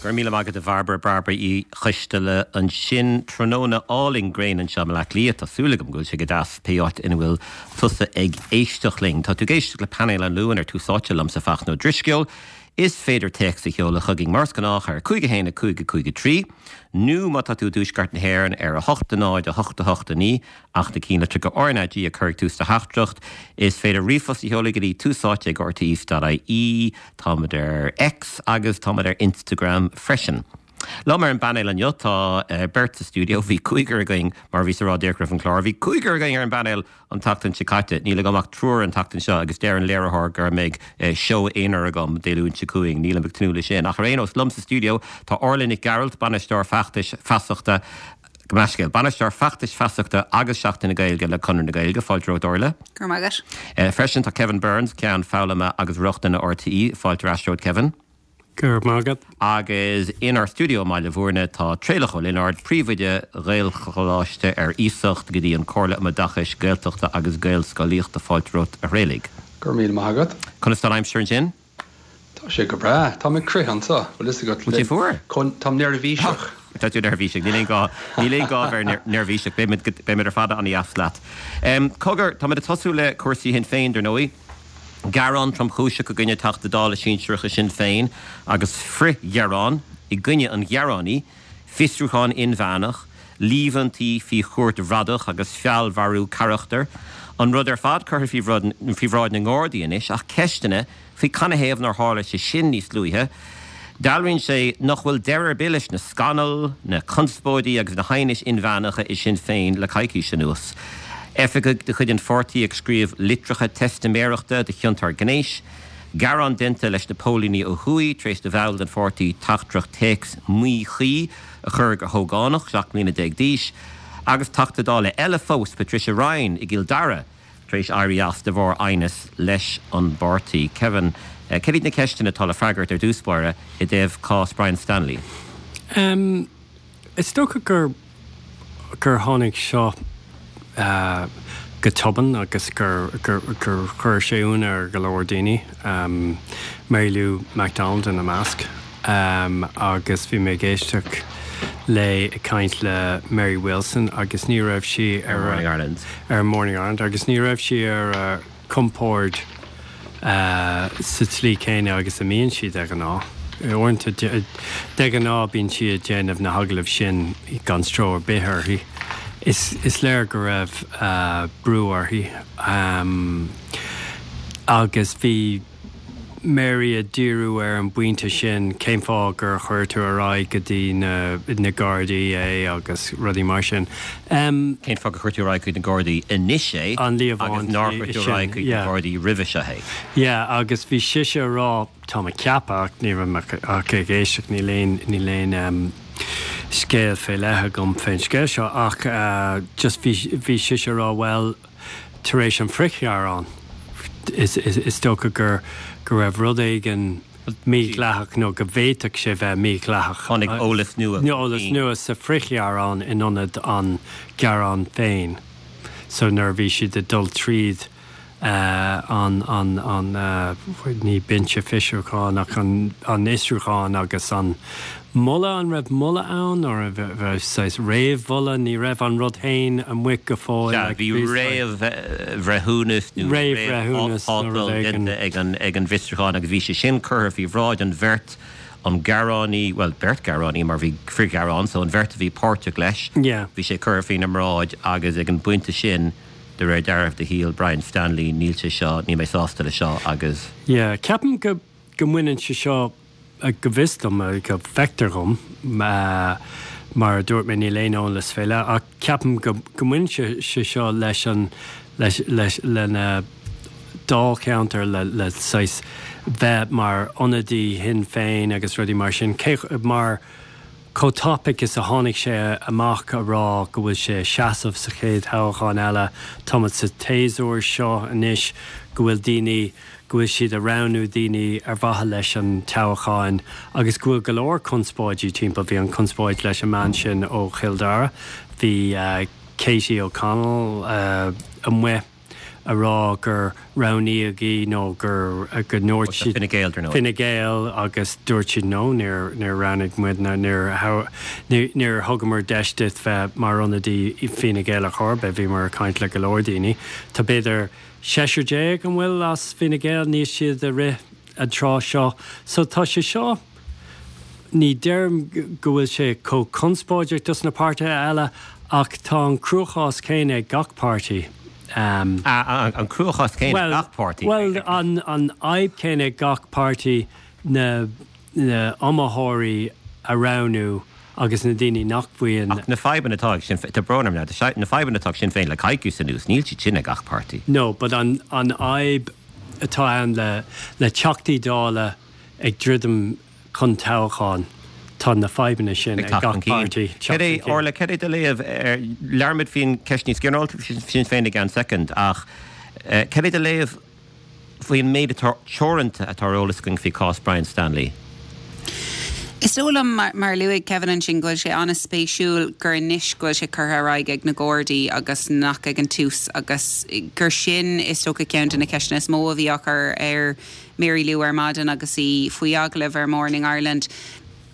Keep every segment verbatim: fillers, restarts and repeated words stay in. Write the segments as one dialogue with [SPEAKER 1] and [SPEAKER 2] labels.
[SPEAKER 1] Go raibh míle maith agat a Bhairbre Bairbre Uí Choisteala ansin tráthnóna álainn gréine anseo i mBaile Átha Cliath Tá súil agam go bhfuil sé go deas pé áit ina bhfuil tusa ag éisteacht linn. Tá tú ag éisteacht le painéal an Luain ar Tús Áite liomsa Fachtna Ó Drisceoil. Is féidir téacs a sheoladh chugainn mar is gnách ar cúig a haon a cúig a cúig a trí, nó má tá tú i dtuaisceart na hÉireann ar a hocht a náid a hocht a hocht a naoi ach na cinnlitreacha RnaG a chur ag tús do theachtaireacht. Is féidir ríomhphost a sheoladh go dtí tusáite ag rte.ie, táimid ar X agus táimid ar Instagram freisin. Liom ar an bpainéal inniu tá uh, beirt sa stiúideo bhí cúigear againn mar bhí sa rádíoch an chlár, bhí cúigear againn ar an bpainéal an tseachtain seo caite, níl agam ach triúr an tseachtain seo agus deir an léiritheoir go mbeidh uh, seó aonair agam Dé Luain seo chugainn, nílim ag tnúth leis sin. Ach ar aon nós liom sa stiúideo tá Orla Nic Gearailt bainisteoir feachtais feasachta Gmascéil, bainisteoir feachtais feasachta agus Seachtain na Gaeilge le Conradh na Gaeilge fáilte romhat Orla.
[SPEAKER 2] Gur magat.
[SPEAKER 1] Uh, freisin tá Kevin Burns ceann foghlama agus rochtana RTÉ fáilte ar ais romhat Kevin.
[SPEAKER 3] Gur magat.
[SPEAKER 1] Agus inár stiúideo i mBaile Bhúirne tá Traolach Ó Lionáird príomhoide Ghaelcholáiste ar iasacht go dtí an Chomhairle um Oideachas Gaeltachta agus Gaelscolaíochta fáilte romhat a Thraolaigh.
[SPEAKER 4] Gur míle maith agat.
[SPEAKER 1] Conas tá an aimsir ansin?
[SPEAKER 4] Tá sé go breá Tá mé ag crith anseo bhfuil agat
[SPEAKER 1] sé fuar?
[SPEAKER 4] Tá neirbhíseach.
[SPEAKER 1] Tá tú neirbhíseach, níl gá níl gá bheith neirbhíseach beimid ar fad an-deas leat. Cogar tá ag tosú le cúrsaí Shinn Féin dar ndóigh. Gearán tromchúiseach i gcoinne Teachta Dála sinsearach Shinn Féin agus frithghearán i gcoinne an ghearánaí, fiosrúchán inmheánach, líomhaintí faoi chúirt bhradach agus feallmharú carachtar, an rud ar fad curtha faoi bhráid na nGardaí anois ach ceisteanna faoi canathaobh nár tharla sé sin níos luaithe. Dealraíonn sé nach bhfuil deireadh ar bith leis na scannail, na conspóidí agus na haighnis inmheánacha i Sinn Féin le coicís anuas. Oifigigh de chuid an pháirtí ag scríobh litreacha teistiméireachta de chiontóir gnéis, Gearán déanta leis na póilíní ó thuaidh tar éis do bhall den pháirtí teachtaireacht téacs míchuí a chur go hógánach seacht mbliana déag d'aois, agus Teachta Dála eile fós Patricia Ryan i gCill Dara tar éis éirí as de bharr aighneas leis an bpáirtí. Kevin, uh, cé na ceisteanna atá le freagairt ar dtús báire i dtaobh cás Brian Stanley.
[SPEAKER 3] Um, is dócha gur gur tháinig seo uh, go tobann agus gur gur gur chuir sé ionadh ar go leor daoine um, Mary Lou McDonald ina measc um, agus bhí mé ag éisteacht le ag caint le Mary Wilson agus ní raibh sí ar
[SPEAKER 1] Morning Ireland.
[SPEAKER 3] ar Morning Ireland agus ní raibh sí ar uh, compord uh, sa tslí céanna agus a mbíonn sí de ghnáth. Uaireanta de ghnáth bíonn sí ag déanamh na hagallaimh sin gan stró ar bith uirthi. Is, is léir go raibh uh, brú uirthi um, agus bhí Mary ag díriú ar an bpointe sin cén fáth gur chuir tú ar aghaidh go dtí na, na Gardaí é agus rudaí mar sin. Um,
[SPEAKER 1] Cén fáth gur chuir tú ar aghaidh chuig na Gardaí anois é
[SPEAKER 3] An líomhain
[SPEAKER 1] agus nár chuir tú ar aghaidh chuig na Gardaí roimhe seo é.
[SPEAKER 3] Yeah, agus bhí sise ag rá tá mé ag ceapadh ní raibh ach ag éisteacht níl aon níl aon um, scéal fé leith agam fén scéal seo ach uh, just bhí bhí sise ag rá well tar éis an frithghearán is, is, is dócha gur go raibh rud éigin mídhleathach nó go bhféadfadh sé bheith mídhleathach.
[SPEAKER 1] Tháinig eolas nua.
[SPEAKER 3] Eolas nua sa frithghearán in ionad an gearán féin. So nuair bhí siad ag dul tríd uh, an an an uh, ní binse fiosrúcháin ach an an fhiosrúchán agus an moladh an raibh moladh ann nó raibh réamh-mholadh ní raibh an rud féin amuigh go fóill
[SPEAKER 1] bhí réamhbhreithiúnas
[SPEAKER 3] réamhbhreithiúnas
[SPEAKER 1] ag an ag an bhfiosrúchán agus bhí sé sin curtha faoi bhráid an bheirt an gearánaí well beirt gearánaí mar bhí frithghearán so an bheirt a bhí páirteach leis bhí sé curtha faoina mbráid agus ag an bpointe sin de réir dealraimh do shíl Brian Stanley níl sé seo ní mé sásta le seo agus.
[SPEAKER 3] Yeah, ceapaim go go mbaineann sé seo go bhfios dom go bhfeictear dom mar dúirt mé níl aon eolas fé leith ach ceapaim go go mbaineann sé seo leis an leis leis lena dáilcheantar le le saghas bheith mar ionadaí Shinn Féin agus rudaí mar sin cé mar chomh tapaidh is a tháinig sé amach a rá go bhfuil sé seasamh sa chéad toghchán eile táimid sa tséasúr seo anois go bhfuil daoine go bhfuil siad ag roghnú daoine ar mhaithe leis an toghchán agus go bhfuil go leor conspóidí timpeall bhí an conspóid leis an mbean sin ó Chill Dara bhí uh, Katie O'Connell uh, amuigh a rá gur roghnaíodh í nó gur go ndúirt siad
[SPEAKER 1] Fine Gael dar ndóigh.
[SPEAKER 3] Fine Gael agus dúirt siad no níor níor roghnaigh muid ná níor níor thugamar deis duit bheith mar ionadaí Fine Gael ar chor ar bith bhíomar ag caint le go leor daoine. Tá b'fhéidir seisear déag an bhfuil as Fine Gael níl siad ag rith an tráth seo. So tá sé seo ní deirim go bhfuil sé chomh conspóideach dos na páirtithe eile ach tá an cruachás céanna ag gach páirtí. Um,
[SPEAKER 1] an cruachás céanna ag gach páirtí.
[SPEAKER 3] Well an an fhadhb céanna ag gach páirtí na na iomaitheoirí a roghnú agus na daoine nach bhfuil
[SPEAKER 1] Ach na fadhbanna atá ag Sinn Féin tá brón orm na na fadhbanna atá ag Sinn Féin le coicís anuas níl siad sin ag gach páirtí.
[SPEAKER 3] No, but an an fhadhb atá ann le le Teachtaí Dála ag druidim chun toghcháin tá na fadhbanna sin ag gach páirtí.
[SPEAKER 1] Cad é Orla cad é do léamh labhróimid faoin cheist níos ginearálta Sinn Féin i gceann soicind ach cad é do léamh faoin méid atá teoranta atá ar eolas againn faoi chás Brian Stanley.
[SPEAKER 2] Is dóigh liom mar, mar luaigh Kevin ansin go bhfuil sé an-spéisiúil gur anois go bhfuil sé curtha ar aghaidh ag na Gardaí agus nach ag an tús agus gur sin is dócha ceann de na ceisteanna is mó a bhí á chur ar Mary Lou ar maidin agus í faoi agallamh ar Morning Ireland.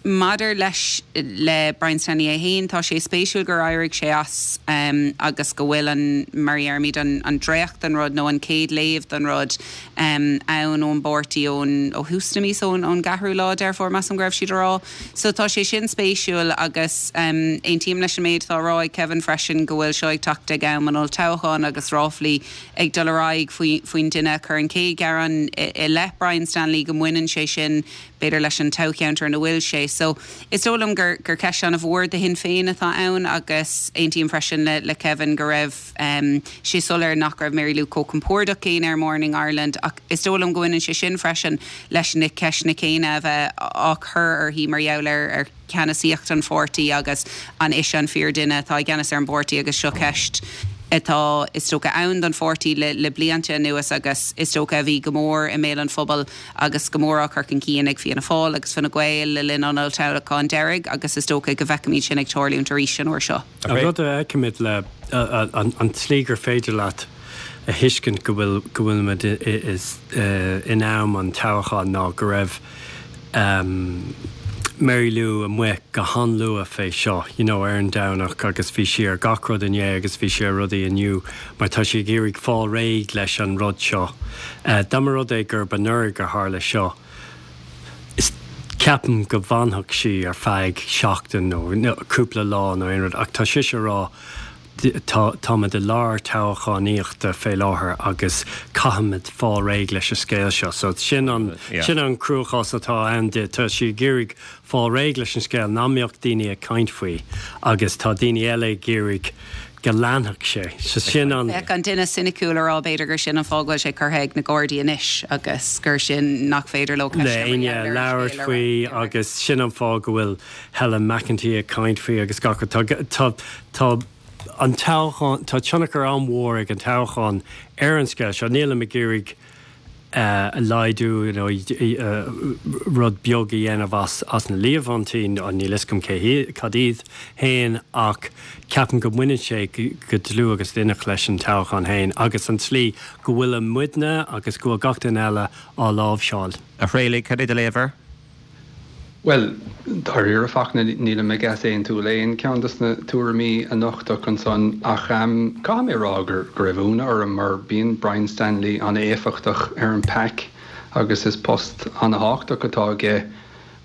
[SPEAKER 2] Maidir leis le Brian Stanley é féin tá sé spéisiúil gur éirigh sé as um, agus go bhfuil an mar deirimid an, an dréacht den rud nó an chéad léamh den rud um, ann ón bpáirtí ón ó thús na míosa ón ón gceathrú lá Deireadh measaim go raibh siad á rá. So tá sé sin spéisiúil agus um, aontaím leis an méid atá á rá ag Kevin freisin go bhfuil seo ag teacht ag am an olltoghcháin agus ráflaí ag dul ar aghaidh faoi faoin duine chur an chéad ghearán i, i leith Brian Stanley go mbaineann sé sin b'fhéidir leis an toghcheantar ina bhfuil sé. So is dóigh liom gur gur ceist an-mhór do Shinn Féin atá ann agus aontaím freisin le, le Kevin go raibh um, sé soiléir nach raibh Mary Lou chomh compordach céanna ar Morning Ireland ach is dóigh liom go mbaineann sé sin freisin leis na ceisteanna céanna a bheith á chur uirthi mar gheall ar ar ceannasaíocht an pháirtí agus an ise an fíordhuine atá i gceannas ar an bpáirtí agus seo ceist atá is dócha ann don pháirtí le, le blianta anuas agus is dócha a bhí go mór i mbéal an phobail agus go mór á chur chun cinn ag Fianna Fáil agus Fine Gael le linn an olltoghcháin deiridh agus is dócha go bhfeicfimid sin ag tarlúint arís an uair seo.
[SPEAKER 3] An rud a fheicimid le an, an tslí gur féidir leat a thuiscint go bhfuil go bhfuilimid is in am an toghcháin ná go raibh um, Mary Lou amuigh go han-luath fé seo, you know, ar an Domhnach agus bhí sí ar gach rud inné agus bhí sí ar rudaí inniu, mar tá sí ag iarraidh fáil réidh leis an rud seo. Uh, Dá mba rud é gur anuraidh a tharla seo. Is ceapaim go bhfanfadh sí ar feadh seachtain nó cúpla lá nó aon rud ach tá sí ag rá tá táimid i lár toghchánaíochta fé láthair agus caithfimid fáil réidh leis an scéal seo, so sin an yeah. sin an cruachás atá ann di tá sí ag iarraidh fáil réidh leis an scéal nach mbeadh daoine ag caint faoi agus tá daoine eile ag iarraidh go leanfadh sé so sin an
[SPEAKER 2] Bheadh an duine soiniciúil á rá b'fhéidir gur sin an fáth go bhfuil sé curtha ag na Gardaí anois agus gur sin nach féidir leo
[SPEAKER 3] le éinne labhairt faoi agus sin an fáth go bhfuil Helen McEntee ag caint faoi agus gach tá tá tá an toghchán tá tionchar an-mhór ag an toghchán ar an scéal seo nílim ag iarraidh uh, a laghdú nó uh, rud beag a dhéanamh as as na líomhaintí an níl a fhios agam cé cad iad féin ach ceapaim go mbaineann sé go dlúth agus d'inneach leis an toghchán féin agus an tslí go bhfuil an muidne agus go bhfuil gach duine eile á láimhseáil.
[SPEAKER 1] A Thraolaigh cad é do léamh air?
[SPEAKER 4] Well, dáiríre fach níl mé ag aontú le aon ceann des na tuairimí a nochtadh ansan ach um, caithfidh mé rá gur go raibh ionadh orm mar bíonn Brian Stanley an-éifeachtach ar an pack agus is post an-tábhachtach atá aige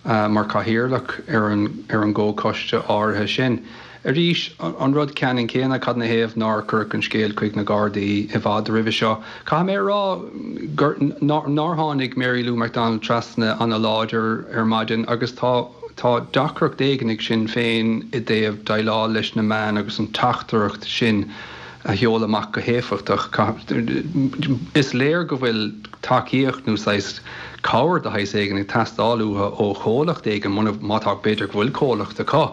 [SPEAKER 4] uh, mar chathaoirleach ar an ar an gcomhchoiste áirithe sin. Arís an rud ceannann céanna cad ina thaobh nár cuireadh an scéal chuig na Gardaí i bhfad roimhe seo. Caithfidh mé rá nár tháinig Mary Lou McDonald trasna an-láidir ar maidin agus tá tá deacracht éigin ag Sinn Féin i dtaobh déileáil leis na meáin agus an teachtaireacht sin a sheoladh amach go héifeachtach. Is léir go bhfuil tacaíocht nó saghas cabhair de shaghas éigin ag teastáil uathu ó chomhlacht éigin má tá b'fhéidir go bhfuil comhlacht acu.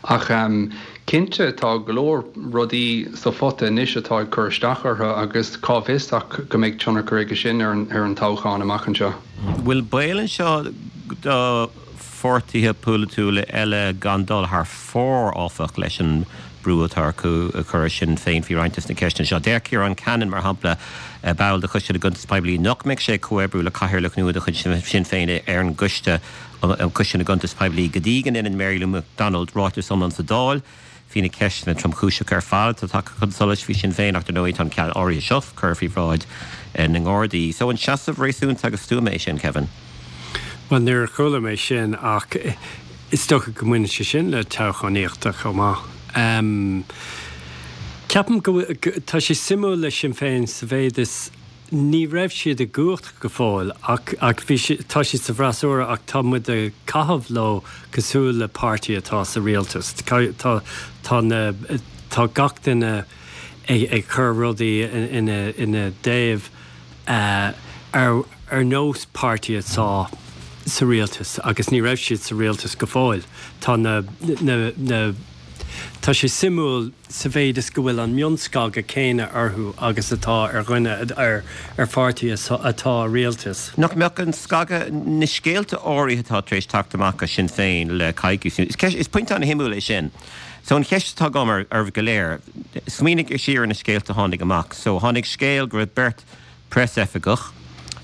[SPEAKER 4] Ach um, cinnte tá go leor rudaí sa phota anois atá ag cur isteach orthu agus cá bhfios ach go mbeidh tionchar aige sin ar an, ar an toghchán amach anseo.
[SPEAKER 1] Bhfuil baol anseo do pháirtithe polaitiúla eile gan dul thar fóir áfach leis an brú atá acu a chur ar Sinn Féin faoi roinnt des na ceisteanna seo. Deir Ciarán Cannon, mar shampla, ball de Choiste na gCuntas Poiblí, nach mbeidh sé ag comhoibriú le cathaoirleach nua de chuid Sinn Féin ar an gcoiste um Choiste na gCuntas Poiblí go dtí go ndéanann Mary Lou McDonald ráiteas iomlán sa Dáil faoi na ceisteanna tromchúiseacha ar fad atá tagtha chun solais faoi Sinn Féin ach dar ndóigh tá an ceann áirithe seo curtha faoi bhráid na nGardaí. So an seasamh réasúnta agus stuama é sin, Kevin?
[SPEAKER 3] Bhuel, níor chuala mé sin ach is dócha go mbaineann sé sin le toghchánaíocht chomh maith. Ceapaim go bhfuil, tá sé suimiúil le Sinn Féin sa mhéid is ní raibh siad i gcumhacht go fóill ach ach bhí si, tá siad sa bhfreasúra ach tá muid ag caitheamh leo cosúil le páirtí atá sa rialtas. Tá tá na tá gach duine ag ag cur rudaí ina ina dtaobh ar ar nós páirtí atá sa rialtas agus ní raibh siad sa rialtas go fóill. Tá na na na tá sé suimiúil sa mhéid is go bhfuil an mionscagadh céanna orthu agus atá ar dhuine ar ar pháirtí atá i rialtas.
[SPEAKER 1] Nach mbeadh an scagadh, na scéalta áirithe atá tar éis teacht amach as Sinn Féin le coicís, is ceist, is pointe an-shuimiúil é sin. So an cheist atá agam oraibh go léir, smaoinigh siar ar na scéalta a tháinig amach. So tháinig scéal go raibh beirt preasoifigeach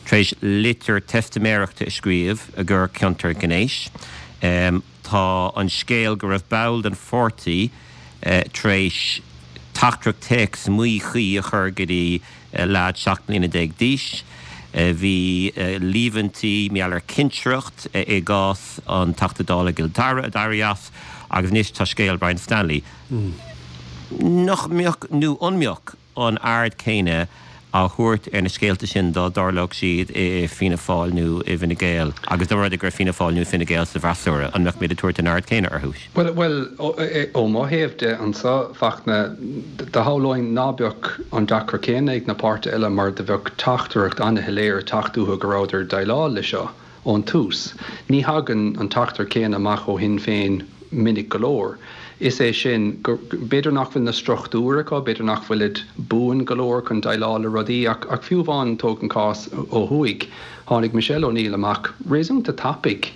[SPEAKER 1] tar éis litir teistiméireachta a scríobh i gcur cionta gnéis. Tá an scéal go raibh ball den pháirtí tar éis teachtaireacht téacs míchuí a chur go dtí leaid seacht mbliana déag d'aois. Bhí líomhaintí mar gheall ar chinsireacht i gcás an Teachta Dála i gCill Dara a d'éirigh as agus anois tá scéal Brian Stanley. Nach mbeadh, nó an mbeadh, an aird chéanna á thabhairt ar na scéalta sin dá dtarlódh siad i Fianna Fáil nó i bhFine Gael agus dá mba rud é go raibh Fianna Fáil nó Fine Gael sa bhfreasúra, an mbeadh muid ag tabhairt an aird chéanna orthu?
[SPEAKER 4] Bhuel, bhuel, ó mo thaobh de anso, Fachtna, do shamhlóinn ná beadh an deacracht céanna ag na páirtithe eile mar do bheadh teachtaireacht an-shoiléir ag teacht uathu go rabhadar ag déileáil le seo. ón tús. Ní thagann an teachtaireacht céanna amach ó Shinn Féin minic go leor. Is é sin, go, b'fhéidir nach bhfuil na struchtúir acu, b'fhéidir nach bhfuilid buan go leor chun déileáil le rudaí ach, ach fiú amháin tóg an cás ó thuaidh, tháinig Michelle O'Neill amach réasúnta tapaidh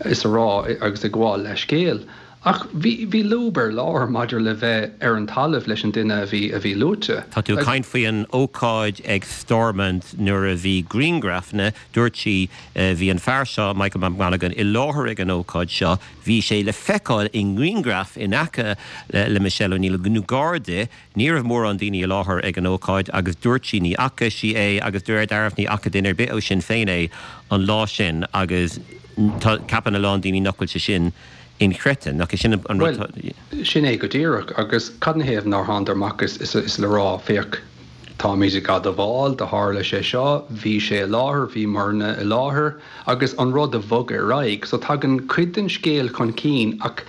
[SPEAKER 4] is a rá agus ag gabháil leithscéil. Ach bhí, bhí lúb ar lár maidir le bheith ar an talamh leis an duine a bhí, a bhí luaite.
[SPEAKER 1] Tá tú ag caint faoi an ócáid ag Stormont nuair a bhí grianghrafanna, dúirt sí, bhí an fear seo, Michael McMonaghan, i láthair ag an ócáid seo, bhí sé le feiceáil i ngrianghraf in aice le Michelle O'Neill nó gar di, ní raibh mórán daoine i láthair ag an ócáid agus dúirt sí ní fhaca sí é agus de réir dealraimh ní fhaca duine ar bith ó Sinn Féin é an lá sin agus tá, ceapann a lán daoine nach bhfuil sé sin inchreidte, nach é sin an rud atá.
[SPEAKER 4] Bhuel, sin é go díreach. Agus cad 'na thaobh nár thánadar amach is is le rá, féach, táimid ag admháil, do tharla sé seo, bhí sé i láthair, bhíomarna i láthair, agus an rud a bhogadh ar aghaidh. So tagann cuid den scéal chun cinn ach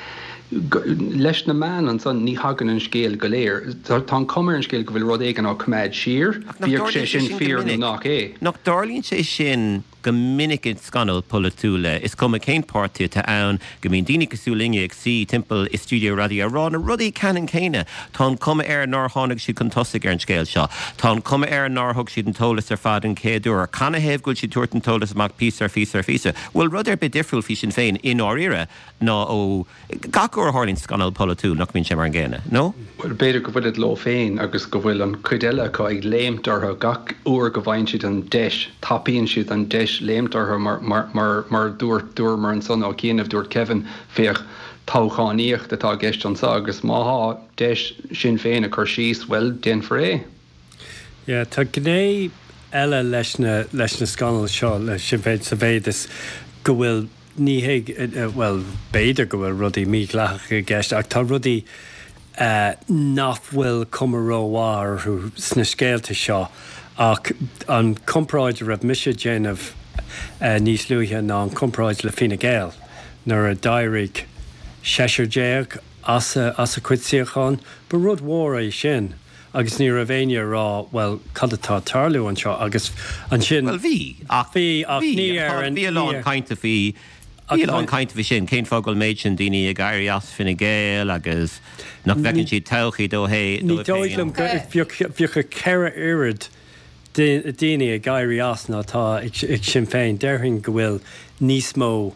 [SPEAKER 4] leis na meáin ansan ní thagann an scéal go léir. Tá an chuma ar an scéal go bhfuil rud éigin á coimeád siar,
[SPEAKER 1] Ach nach
[SPEAKER 4] bíodh sé
[SPEAKER 1] dtarlaíonn sé
[SPEAKER 4] sin
[SPEAKER 1] sin go
[SPEAKER 4] fíor nó
[SPEAKER 1] minic?
[SPEAKER 4] nach é.
[SPEAKER 1] Nach dtarlaíonn sé sin Go minic i scannail pholaitiúla, is cuma cén páirtí atá ann, go mbíonn daoine cosúil linne ag suí timpeall i stiúideo raidió ag rá na rudaí ceannann céanna. Tá an chuma air nár tháinig siad chun tosaigh ar an scéal seo. Tá an chuma air nár thug siad an t-eolas ar fad an chéad uair. Canathaobh go bhfuil siad ag tabhairt an t-eolas amach píosa ar phíosa ar phíosa? Bhfuil rud ar bith difriúil faoi Sinn Féin i ndáiríre ná ó gach uair a tharlaíonn scannal polaitiúil, nach mbíonn sé mar an gcéanna, nó?
[SPEAKER 4] Bhuel, b'fhéidir go bhfuilid leo féin agus go bhfuil an chuid eile acu ag léimt orthu gach uair go bhfaigheann siad an deis, tapaíonn siad an deis léimt orthu mar, mar, mar, mar dúirt, dúramar ansan ó chianaibh, dúirt Kevin, féach, toghchánaíocht atá i gceist anso agus má thá deis Sinn Féin a chur síos, bhuel, déanfar é.
[SPEAKER 3] Yeah, tá gné eile leis na, leis na scannail seo le Sinn Féin sa mhéid is go bhfuil, Ní hé, bhuel, b'fhéidir go bhfuil rudaí mídhleathacha i gceist ach tá rudaí nach bhfuil cuma rómhaith orthu sna scéalta seo ach an comparáid a raibh mise ag déanamh níos luaithe ná an comparáid le Fine Gael nuair a d'éirigh seisear déag as a cuid suíochán, ba rud mhór é sin. Agus ní raibh éinne ag rá, bhuel, cad atá ag tarlú anseo? Agus ansin.
[SPEAKER 1] Bhuel, bhí, ach
[SPEAKER 3] bhí, ach
[SPEAKER 1] bhí,
[SPEAKER 3] ní ar an,
[SPEAKER 1] bhí a
[SPEAKER 3] ní
[SPEAKER 1] lán
[SPEAKER 3] ar.
[SPEAKER 1] cainte faoi,
[SPEAKER 3] Ach
[SPEAKER 1] bhí a lán
[SPEAKER 3] tá.
[SPEAKER 1] cainte faoi sin, cén fáth go bhfuil méid sin daoine ag éirí as Fine Gael agus nach
[SPEAKER 3] Ní,
[SPEAKER 1] bhfeiceann siad todhchaí dó hé,
[SPEAKER 3] ní
[SPEAKER 1] dóibh
[SPEAKER 3] dóigh
[SPEAKER 1] féin.
[SPEAKER 3] liom go, bheadh, bheadh a ceithre oiread daoine ag éirí as ná atá ag, ag Sinn Féin. Déarfainn go bhfuil níos mó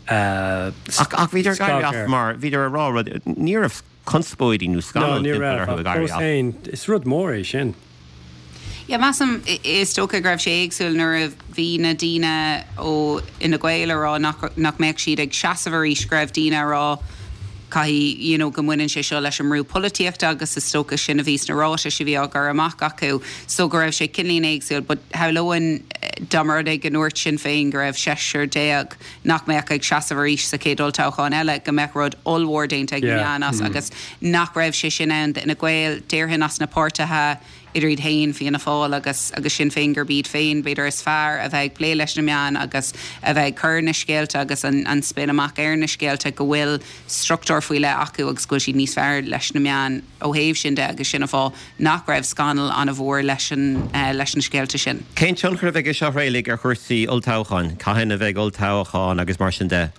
[SPEAKER 1] Ach, ach bhíodar ag éirí
[SPEAKER 3] scag
[SPEAKER 1] as
[SPEAKER 3] air.
[SPEAKER 1] mar, bhíodar ag rá rud, ní raibh conspóidí nó scannal timpeall orthu ag éirí
[SPEAKER 3] as. Féin, is rud mór é sin.
[SPEAKER 2] Yeah, measaim is dócha go raibh sé éagsúil nuair a bhí na daoine ó Fhine Gael a rá nach, nach mbeadh siad ag seasamh arís go raibh daoine a rá caithfidh you know, go mbaineann sé seo leis an mbrú polaitíochta agus is dócha sin a bhí sna ráitis a bhí á gcur amach acu so go raibh sé cineáilín éagsúil but shamhlóinn dá mba rud é go ndúirt Sinn Féin go raibh seisear déag nach mbeadh ag seasamh arís sa chéad olltoghchán eile go mbeadh rud ollmhór déanta ag na meáin as agus nach raibh sé sin ann d'Fhine Gael déarfainn as na páirtithe idir iad féin, Fianna Fáil agus agus Sinn Féin gurb iad féin b'fhéidir is fearr a bheith ag plé leis na meáin agus a bheith ag cur na scéalta agus an an spin amach ar na scéalta go bhfuil struchtúr faoi leith acu agus go bhfuil siad níos fearr leis na meáin ó thaobh sin de agus sin an fáth nach raibh scannal an-mhór leis an leis na scéalta sin.
[SPEAKER 1] Cén tionchar a bheidh ag seo uilig ar chúrsaí olltoghcháin? Cathain a bheidh olltoghchán agus mar sin de?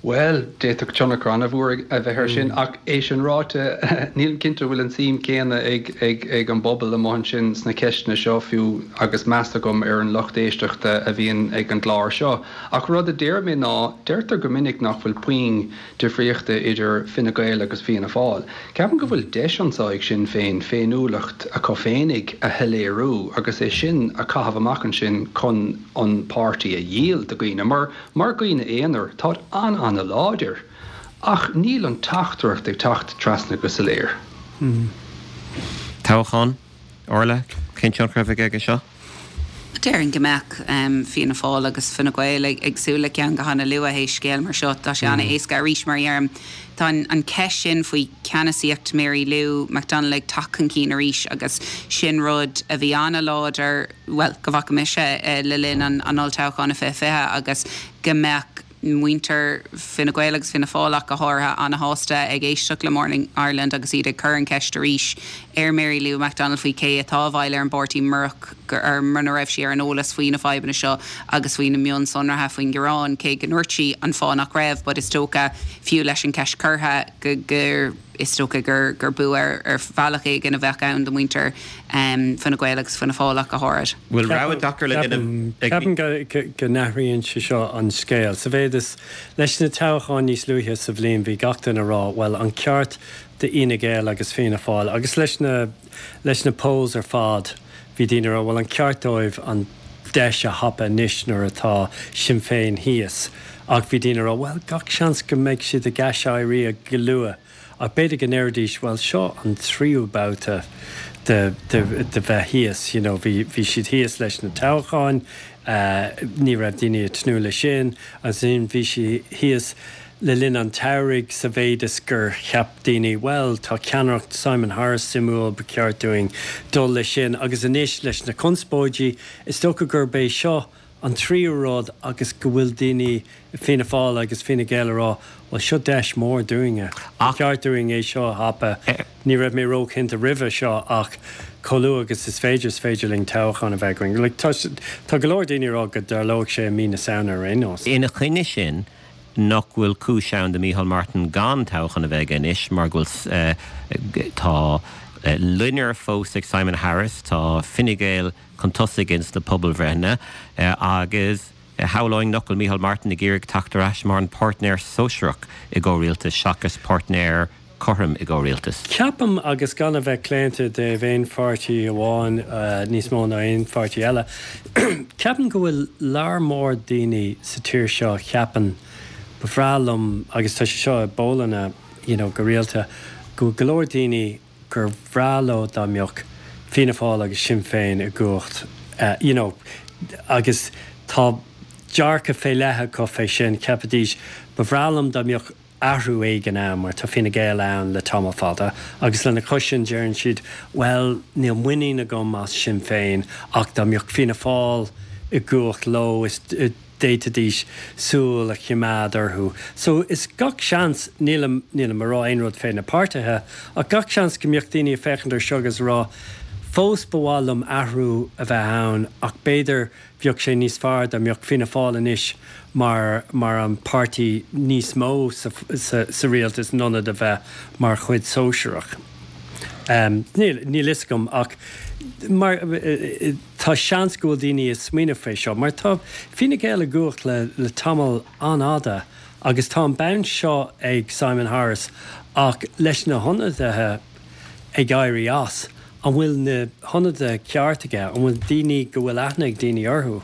[SPEAKER 4] Bhuel, d'fhéadfadh tionchar an-mhór a bheith air sin, ach é sin ráite, nílim cinnte bhfuil an suim céanna ag ag ag an bpobal amuigh ansin sna ceisteanna seo fiú agus meas agam ar an lucht éisteachta a bhíonn ag an gclár seo. Ach rud a deir mé ná, deirtear go minic nach bhfuil puinn difríochta idir Fine Gael agus Fianna Fáil. Ceapaim go bhfuil deis anseo ag Sinn Féin féiniúlacht acu féinig a shoiléiriú agus é sin a chaitheamh amach ansin chun an páirtí a dhíol do dhaoine mar mar dhaoine aonair táid an-an-láidir ach níl an teachtaireacht ag teacht trasna go soiléir.
[SPEAKER 1] Toghchán, Orla, cén tionchar a bheidh aige seo?
[SPEAKER 2] Déarfainn go mbeadh Fianna Fáil agus Fine Gael ag súil le ceann go han-luath théis scéal mar seo. Tá sé an-éasca arís mar a dheirim. Tá an cheist sin faoi cheannasaíocht Mary Lou McDonald ag teacht chun cinn arís agus sin rud a bhí an-láidir, bhuel, go bhfaca mise le linn an olltoghcháin i fiche fiche agus go mbeadh muintir Fine Gael agus Fianna Fáil ach go háirithe an-shásta ag éisteacht le Morning Ireland agus iad ag cur an cheist arís ar Mary Lou McDonald faoi cé atá i bhfeighil ar an bpáirtí murach gur mura raibh sí ar an eolas faoi na fadhbanna seo agus faoi na mionsonraithe faoin ngearán, cé go ndúirt sí an fáth nach raibh, but is dócha fiú leis an cheist curtha go gur is dócha gur gur bua ar ar bhealach éigin a bheadh ann do mhuintir Fine Gael agus Fianna Fáil ach go háirid.
[SPEAKER 1] Bhfuil rogha deacair le déanamh ag.
[SPEAKER 3] Ceapaim go go n-athraíonn sé seo an scéal. Sa mhéid is leis na toghcháin níos luaithe sa bhliain bhí gach duine ag rá bhuel an ceart d'Fhine Gael agus Fianna Fáil agus leis na leis na polls ar fad bhí daoine ag rá bhuel an ceart dóibh an deis a thapa anois nuair atá Sinn Féin thíos ach bhí daoine ag rá bhuel gach seans go mbeidh siad ag aiséirí go luath ach b'fhéidir go ndéarfaidís bhuel seo an tríú babhta de de de bheith thíos you know bhí bhí siad thíos leis na toghcháin ní raibh daoine ag tnúth leis sin agus ansin bhí siad thíos le linn an tsamhraidh sa mhéid is gur cheap daoine bhuel tá ceannaireacht Simon Harris suimiúil ba cheart dúinn dul leis sin agus anois leis na conspóidí is dócha gurb é seo an tríú rud agus go bhfuil daoine i Fianna Fáil agus Fine Gael ag rá bhuel seo deis mhór dúinne, ba cheart dúinn é seo a thapa. Ní raibh mé róchinnte roimhe seo ach chomh luath agus is féidir is féidir linn toghchán a bheith againn. Like, tá, tá go leor daoine ag rá go dtarlóidh sé i mí na Samhna ar aon nós.
[SPEAKER 1] Ina choinne sin, nach bhfuil cúis ann do Micheál Martin gan toghchán a bheith aige anois mar go bhfuil tá loinnir fós ag Simon Harris, tá Fine Gael chun tosaigh ins na pobalbhreitheanna agus shamhlóinn nach bhfuil Micheál Martin ag iarraidh teacht ar ais mar an páirtnéir sóisearach i gcomhrialtas seachas páirtnéir cothrom i gcomhrialtas.
[SPEAKER 3] Ceapaim, agus gan a bheith claonta i dtaobh aon pháirtí amháin níos mó ná aon pháirtí eile, ceapaim go bhfuil lear mór daoine sa tír seo a cheapann, ba bhreá liom, agus tá sé seo i bpollanna you know go rialta, go bhfuil go leor daoine gur bhreá leo dá mbeadh Fianna Fáil agus Sinn Féin i gcumhacht you know agus tá dearcadh fé leith acu fé sin, cheapfaidís, ba bhreá liom dá mbeadh athrú éigin ann mar tá Fine Gael ann le tamall fada agus lena chois sin deireann siad bhuel níl muinín agam as Sinn Féin ach dá mbeadh Fianna Fáil i gcumhacht leo is d'fhéadfaidís súil a choimeád orthu. So is gach seans, nílim nílim ag rá aon rud fé na páirtithe ach gach seans go mbeadh daoine ag féachaint ar seo agus ag rá fós ba mhaith liom athrú a bheith ann ach b'fhéidir Bheadh sé níos fearr dá mbeadh Fianna Fáil anois mar mar an páirtí níos mó sa sa sa rialtas in ionad a bheith mar chuid sóisearach. Níl níl fhios agam ach mar tá seans go bhfuil daoine ag smaoineamh fé seo mar tá Fine Gael i gcumhacht le le tamall an-fhada Agus tá an bonn seo ag Simon Harris ach leis na hionadaithe ag éirí as, an bhfuil na hionadaithe ceart aige, an bhfuil daoine go bhfuil aithne ag daoine orthu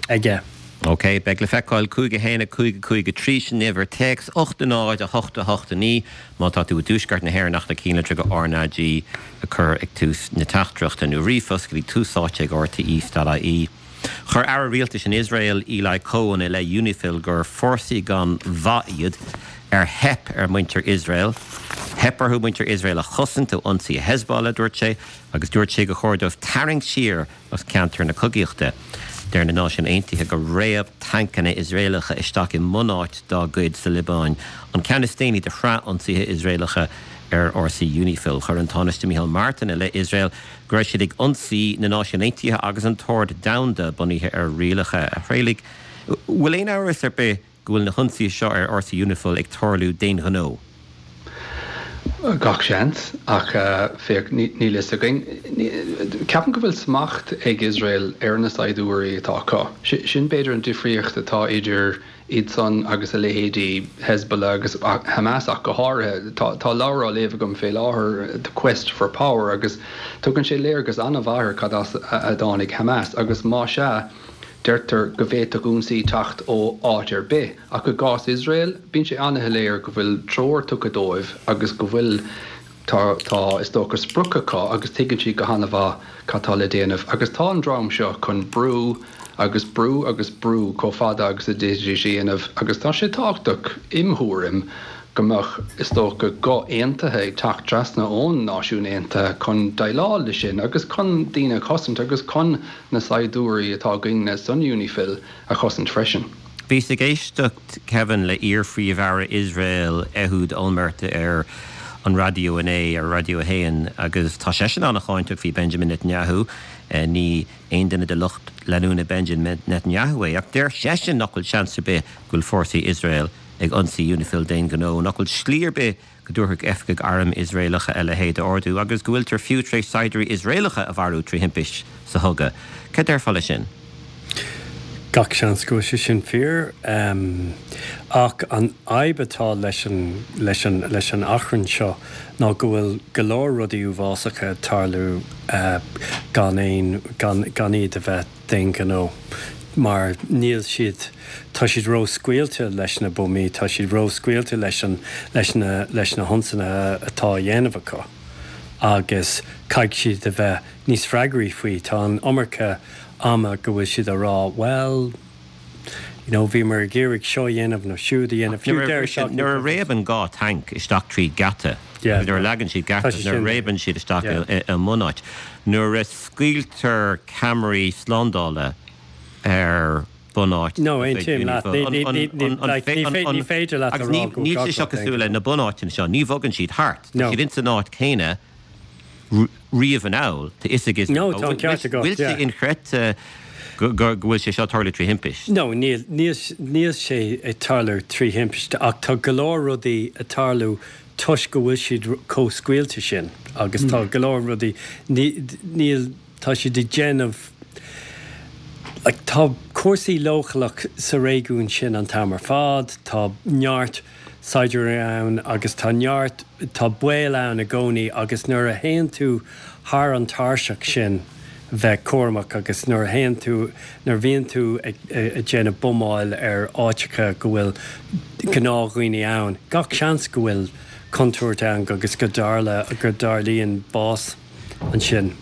[SPEAKER 3] aige?
[SPEAKER 1] Ok, beidh le feiceáil cúig a haon a cúig a cúig a trí sin uimhir téacs ocht a náid a hocht a hocht a naoi má tá tú i dtuaisceart na hÉireann ach na cinnlitreacha RnaG a chur ag tús na teachtaireachta nó ríomhphost go dtí tús áite ag RTE dot ie. Chuir Aire Rialtais in Iosrael Eli Cohen i leith Unifil gur fórsaí gan mhaith iad ar theip ar mhuintir Iosrael. Theip orthu muintir Iosrael a chosaint ó ionsaí Hezbollah, a dúirt sé, agus dúirt sé gur chóir dóibh tarraingt siar as ceantar na cogaíochta. Deir na Náisiúin Aontaithe gur réab tancanna Iosraelacha isteach i mbunáit dá gcuid sa Liobáin, an ceann is déanaí de shraith ionsaithe Iosraelacha ar fhórsaí Unifil. Chuir an Tánaiste Micheál Martin i leith Iosrael go raibh siad ag ionsaí na Náisiún Aontaithe agus an t-ord domhanda bunaithe ar rialacha. A Thraolaigh, bhfuil aon amhras ar bith go bhfuil na hionsaithe seo ar fhórsaí Unifil ag tarlú d'aon ghnó?
[SPEAKER 4] Gach seans, ach féach, níl fhios againn. Ceapaim go bhfuil smacht ag Iosrael ar na saighdiúirí atá acu. Sin b'fhéidir an difríocht atá idir iad san agus a leithéidí Hezbollah agus Hamas ach go háirithe. Tá leabhar á léamh agam fé láthair, The Quest for Power, agus tugann sé léargas an-mhaith ar cad as a dtáinig Hamas agus má sea, Deirtear go bhféadfadh ionsaí teacht ó áit ar bith, ach i gcás Iosrael, bíonn sé an-shoiléir go bhfuil treoir tugtha dóibh agus go bhfuil, tá, tá, is dócha, sprioc acu agus tuigeann siad go han-mhaith cad tá le déanamh. Agus tá an dream seo chun brú agus brú agus brú chomh fada agus a d'fhéadfaidís a dhéanamh agus tá sé tábhachtach, im thuairim, go mbeadh, is dócha, guth aontaithe ag teacht trasna ón Náisiún Aontaithe chun déileáil leis sin agus chun daoine a chosaint agus chun na saighdiúirí atá againne san Unifil a chosaint freisin.
[SPEAKER 1] Bhíos ag éisteacht, Kevin, le iar-Phríomh-Aire Iosrael, Ehud Olmert, ar an raidió inné, ar Raidió a hAon, agus tá seisean an-cháinteach faoi Benjamin Netanyahu. Ní aon duine de lucht leanúna Benjamin Netanyahu é, ach deir seisean nach bhfuil seans ar bith go bhfuil fórsaí Iosrael ag ionsaí Unifil d'aon ghnó, nach bhfuil slí ar bith go dtabharfadh oifigigh airm Iosraelacha a leithéid d'ordú agus go bhfuiltear fiú tar éis saighdiúirí Iosraelacha a mharú trí thimpist sa chogadh. Cad déarfá leis sin?
[SPEAKER 3] Gach seans go bhfuil sé sin fíor. Ach an fhadhb atá leis an, leis an, leis an achrann seo ná go bhfuil go leor rudaí uafásacha ag tarlú gan aon, gan, gan iad a bheith d'aon ghnó. mar níl siad, tá siad ró-scaoilte leis na buamaí, tá siad ró-scaoilte leis an, leis na, leis na hionsaithe atá á dhéanamh acu agus caithfidh siad a bheith níos freagraí faoi. Tá an iomarca ama go bhfuil siad á rá, bhuel, you know, bhíomar ag iarraidh seo a dhéanamh nó siúd a dhéanamh, fiú deireadh seachtaine.
[SPEAKER 1] Nuair a réabann dhá tanc isteach tríd geata, nuair a leagann siad geata, nuair a réabann siad isteach i mbunáit, nuair a scaoiltear ceamaraí slándála, ar bunáit
[SPEAKER 3] No, aontaím leat. Ní féidir leat a rá go
[SPEAKER 1] Níl sé seo cosúil le na bunáiteanna seo, ní bhogann siad thart. Tá siad ins an áit chéanna riamh anall, tá fhios ag
[SPEAKER 3] No, tá an ceart agat,
[SPEAKER 1] Bhfuil sé inchreidte go bhfuil sé seo ag tarlú trí thimpist?
[SPEAKER 3] No, níl, níl sé ag tarlú trí thimpist ach tá go leor rudaí ag tarlú toisc go bhfuil siad chomh scaoilte sin agus tá go leor rudaí, níl, Tá siad ag déanamh, like, tá cúrsaí leochaileach sa réigiún sin an t-am ar fad, tá neart saighdiúirí ann agus tá neart, tá baol ann i gcónaí agus nuair a théann tú thar an tairseach sin bheith cúramach agus nuair a théann tú, nuair a bhíonn tú ag déanamh buamáil ar áiteacha go bhfuil gnáthdhaoine ann, gach seans go bhfuil contúirt ann agus go dtarla, go dtarlaíonn bás. ansin.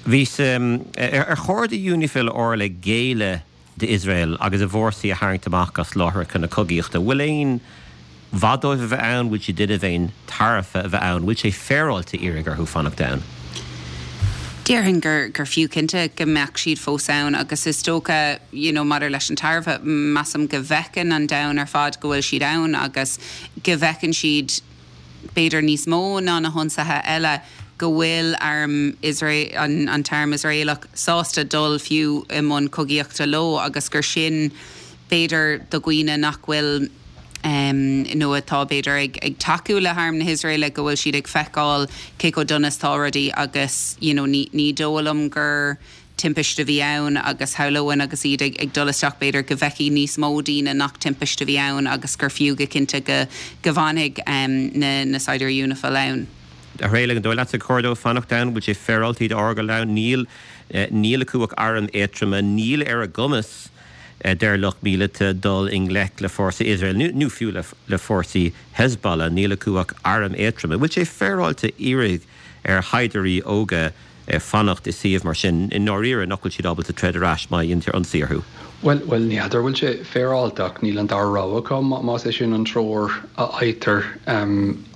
[SPEAKER 1] Bhíos, ar chóir do Unifil Orla géilleadh d'Iosrael agus a bhfórsaí a tharraingt amach as láithreacha na cogaíochta? Bhfuil aon mhaith dóibh a bheith ann? Bhfuil siad duine d'aon tairbhe a bheith ann? Bhfuil sé féaráilte iarraidh orthu fanacht ann?
[SPEAKER 2] Déarfainn gur gur fiú cinnte go mbeadh siad fós ann agus is dócha you know maidir leis an tairbhe, measaim go bhfeiceann an domhan ar fad go bhfuil siad ann agus go bhfeiceann siad b'fhéidir níos mó ná na hionsaithe eile, go bhfuil arm Iosrael, an t-arm Iosraelach sásta dul fiú i mbun cogaíochta leo agus gur sin, b'fhéidir, do dhaoine nach bhfuil nó atá, b'fhéidir, ag ag tacú le harm na hIosraeile, go bhfuil siad ag feiceáil cé chomh dona is atá rudaí agus you know ní ní dóigh liom gur timpiste a bhí ann agus shamhlóinn agus iad ag ag dul isteach b'fhéidir go bhfeicfidh níos mó daoine nach timpiste a bhí ann agus gur fiú go cinnte go go bhfanfaidh na na saighdiúirí Unifil ann.
[SPEAKER 1] A Thraolaigh, an dóigh leatsa gur chóir dóibh fanacht ann? Bhfuil sé féaráilte iad a fhágáil ann? Níl níl acu ach airm éadtroma, níl ar a gcumas deir lucht míleata dul i ngleic le fórsaí Iosrael nó fiú le fórsaí Hezbollah, níl acu ach airm éadtroma. Bhfuil sé féaráilte iarraidh ar shaighdiúirí óga fanacht i suíomh mar sin, i ndáiríre nach bhfuil siad ábalta troid ar ais má dhéantar ionsaí orthu?
[SPEAKER 4] Bhuel, bhuel, ní fheadar bhfuil sé féaráilte ach níl an dara rogha acu más é sin an treoir a fhaightear.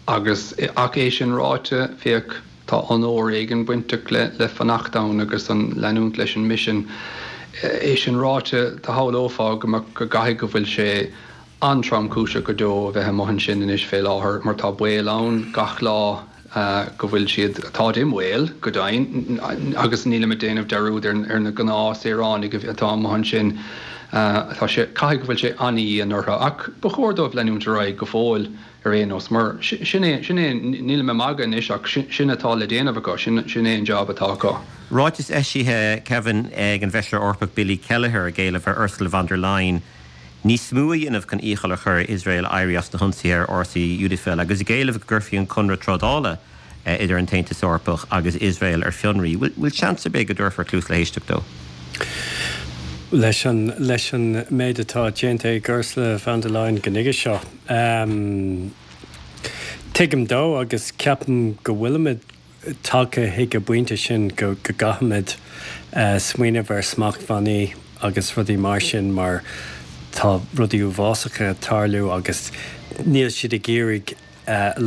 [SPEAKER 4] Agus, ach é sin ráite, féach, tá onóir éigin bainteach le le fanacht ann agus an leanúint leis an misean. É sin ráite, do shamhlófá go mbeadh, go gcaithfidh go bhfuil sé an-tromchúiseach go deo a bheith amuigh ansin anois fé láthair mar tá baol ann gach lá go bhfuil siad, táid i mbaol go deimhin agus nílim ag déanamh dearúd ar ar na gnáthshaoránaigh atá amuigh ansin. Tá sé, caithfidh go bhfuil sé an-dhian orthu ach ba chóir dóibh leanúint ar aghaidh go fóill ar aon nós mar sin é, sin é, nílim ag magadh anois ach sin atá le déanamh acu, sin, sin é an jab atá acu.
[SPEAKER 1] Ráiteas eisithe, Kevin, ag an bhFeisire Eorpach Billy Kelleher ag éileamh ar Ursula von der Leyen níos mó a dhéanamh chun iachall a chur ar Iosrael éirí as na hionsaithe ar fhórsaí Unifil agus ag éileamh go gcuirfí an conradh trádála idir an tAontas Eorpach agus Iosrael ar fionraí. Bhfuil seans ar bith go dtabharfar cluas le héisteacht dó?
[SPEAKER 3] Leis an leis an méid atá déanta ag Ursula von der Leyen go nuige seo, tuigim dó agus ceapaim go bhfuilimid tagtha chuig an bpointe sin go gcaithfimid smaoineamh ar smachtbhannaí agus rudaí mar sin mar tá rudaí uafásacha ag tarlú agus níl siad ag iarraidh